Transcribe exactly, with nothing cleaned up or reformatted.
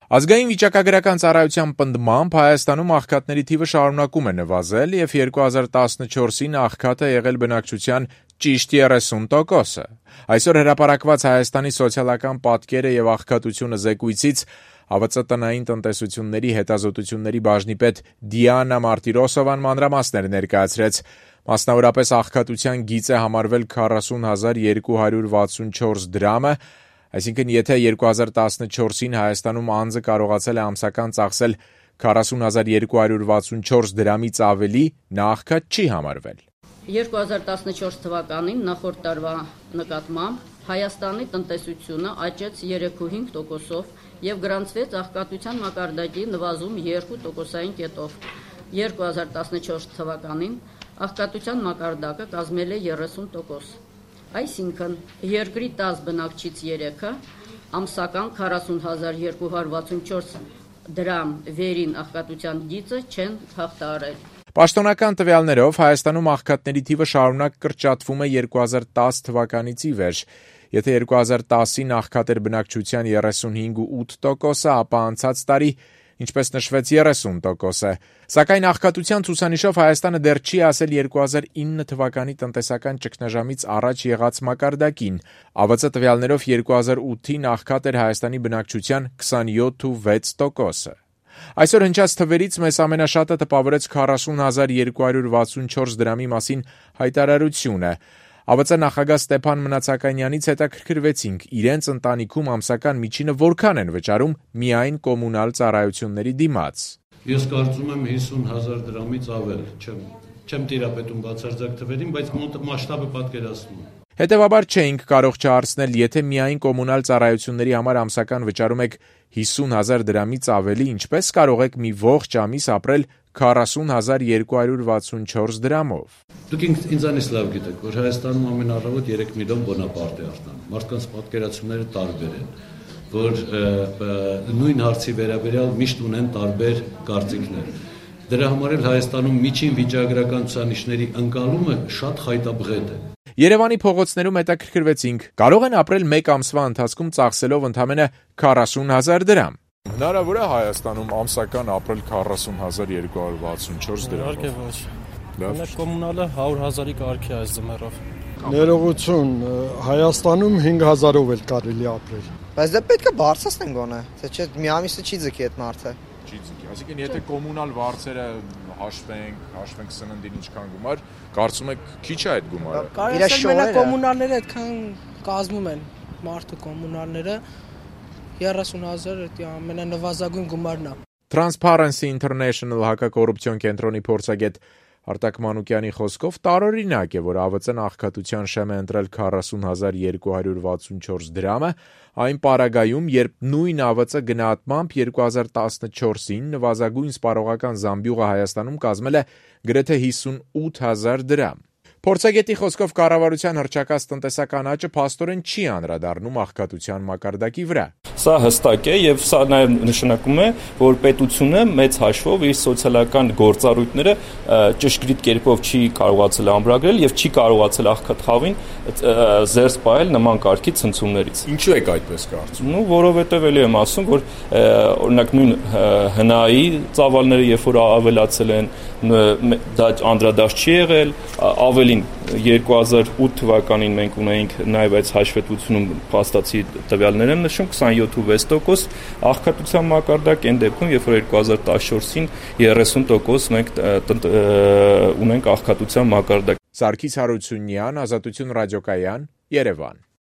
Ազգային վիճակագրական ծառայության պնդմամբ Հայաստանում աղքատների թիվը շարունակում է նվազել և երկու հազար տասնչորսին աղքատը եղել բնակչության ճիշտ երեսուն տոկոսը։ Այսօր հրապարակված Հայաստանի սոցիալական պատկերը և աղքատությունը զեկույցից Ա V Ծ տնային տնտեսությունների հետազոտությունների բաժնի պետ Դիանա Մարտիրոսովան մանրամասներ ներկայացրեց։ Մասնավորապես աղքատության գիծ է համարվել քառասուն հազար երկու հարյուր վաթսունչորս դրամը, այսինքն եթե երկու հազար տասնչորսին Հայաստանում անձը կարողացել է ամսական ծախսել քառասուն հազար երկու հարյուր վաթսունչորս դրամից ավելի, նա աղքատ չի համարվել։ երկու հազար տասնչորս թվականին նախորդ տարվա նկատմամբ Հայաստանի տնտեսությունը աճեց երեք կόμma հինգ տոկոսով և գրանցվեց աղքատության մակարդակի նվազում երկու տոկոսային կետով։ երկու հազար տասնչորս թվականին աղքատության մակարդակը կազմել է երեսուն տոկոս։ Այսինքն երկրի տասը բնակչից երեքը ամսական քառասուն հազար երկու հարյուր վաթսունչորս դրամ վերին աղքատության գիծը չեն հաղթահարել։ Պաշտոնական տվյալներով Հայաստանում աղքատների թիվը շարունակ կրճատվում է երկու հազար տասը թվականից ի վեր։ Եթե երկու հազար տասին աղքատ էր բնակչության երեսուն հինգ կόμma ութ տոկոսը, ապա անցած տարի, ինչպես նշվեց, երեսուն տոկոս է։ Սակայն աղքատության ցուցանիշով Հայաստանը դեռ չի ասել երկու հազար ինը թվականի տնտեսական ճգնաժամից առաջ եղած մակարդակին։ Ա V Ծ տվյալներով երկու հազար ութին աղքատ էր Հայաստանի բնակչության քսանյոթ կόμma վեց տոկոսը։ Այսօր հնչած թվերից մեզ ամենաշատը տպավորեց քառասուն հազար երկու հարյուր վաթսունչորս դրամի մասին հայտարարությունը։ Ա V Ծ նախագահ Ստեփան Մնացականյանից հետաքրքրվեցինք իրենց ընտանիքում ամսական միջինը որքան են վճարում միայն կոմունալ ծառայությունների դիմաց։ Ես կարծում եմ հիսուն հազար դրամից ավել, չեմ, չեմ տիրապետում բացարձակ թվերին, բայց մասշտաբը պատկերացնում եմ։ Հետևաբար չէինք կարող չհարցնել, եթե միայն կոմունալ ծառայությունների համար ամսական վճարում եք հիսուն հազար դրամից ավելի, ինչպես կարող եք մի ողջ ամիս ապրել քառասուն հազար երկու հարյուր վաթսունչորս դրամով։ Դուք ինձանից լավ գիտեք, որ Հայաստանում ամեն առավոտ երեք միլիոն բոնապարտ է արտանում։ Մարդկանց պատկերացումները տարբեր են, որ նույն հարցի վերաբերյալ միշտ ունեն տարբեր կարծիքներ։ Դրա համար էլ Հայաստանում միջին վիճակագրական ցուցանիշների ընկալումը շատ խայտաբղետ է։ Երևանի փողոցներում հետաքրքրվեցինք, կարող են ապրել մեկ ամսվա ընթացքում ծախսելով ընդամենը քառասուն հազար դրամ։ Հնարավոր է Հայաստանում ամսական ապրել քառասուն հազար երկու հարյուր վաթսունչորս դրամով։ Իհարկե ոչ։ Մենք կոմունալը հարյուր հազարի կարգի այս ձմեռով։ Ներողություն, Հայաստանում հինգ հազարով էլ կարելի ապրել։ Բայց դա պետք է բարձրացնեն գոնե, թե չէ մի ամիսը չի ձգի այդ մարդը։ Չի ձգի, այսինքն եթե կոմունալ վարձերը հաշվենք, հաշվենք սննդին ինչքան գումար, կարծում եք քիչ է այդ գումարը։ Կարելի է մենակ կոմունալները այդքան կազմում են մարդու կոմունալները երեսուն հազար դա ամենանվազագույն գումարն է։ Transparency International հակակոռուպցիոն կենտրոնի փորձագետ Արտակ Մանուկյանի խոսքով տարօրինակ է, որ Ա V Ծ-ն աղքատության շեմ է ընտրել քառասուն հազար երկու հարյուր վաթսունչորս դրամը, այն պարագայում, երբ նույն Ա V Ծ գնահատմամբ երկու հազար տասնչորսին նվազագույն սպառողական զամբյուղը Հայաստանում կազմել է գրեթե հիսունութ հազար դրամ։ Փորձագետի խոսքով կառավարության հռչակած տնտեսական աճը փաստորեն չի անդրադառնում աղքատության մակարդակի վրա։ Սա հստակ է եւ սա նաեւ նշանակում է, որ պետությունը մեծ հաշվով իր սոցիալական գործառույթները ճշգրիտ կերպով չի կարողացել ամրագրել եւ չի կարողացել աղքատ խավին զերծ պահել նման կարգի ցնցումներից։ Ինչու եք այդպես կարծում։ Ну, որովհետեւ էլի եմ ասում, որ օրինակ նույն հնայի ծավալները երբ որ ավելացել են, դա անդրադարձ չի եղել, ավելին երկու հազար ութ թվականին մենք ունեինք նաև այս հաշվետվությունում փաստացի տվյալներ եմ նշում քսանյոթ կόμma վեց տոկոս աղքատության մակարդակ այն դեպքում երբ որ երկու հազար տասնչորսին երեսուն տոկոս մենք ունենք աղքատության մակարդակ։ Սարգիս Հարությունյան, Ազատություն ռադիոկայան, Երևան։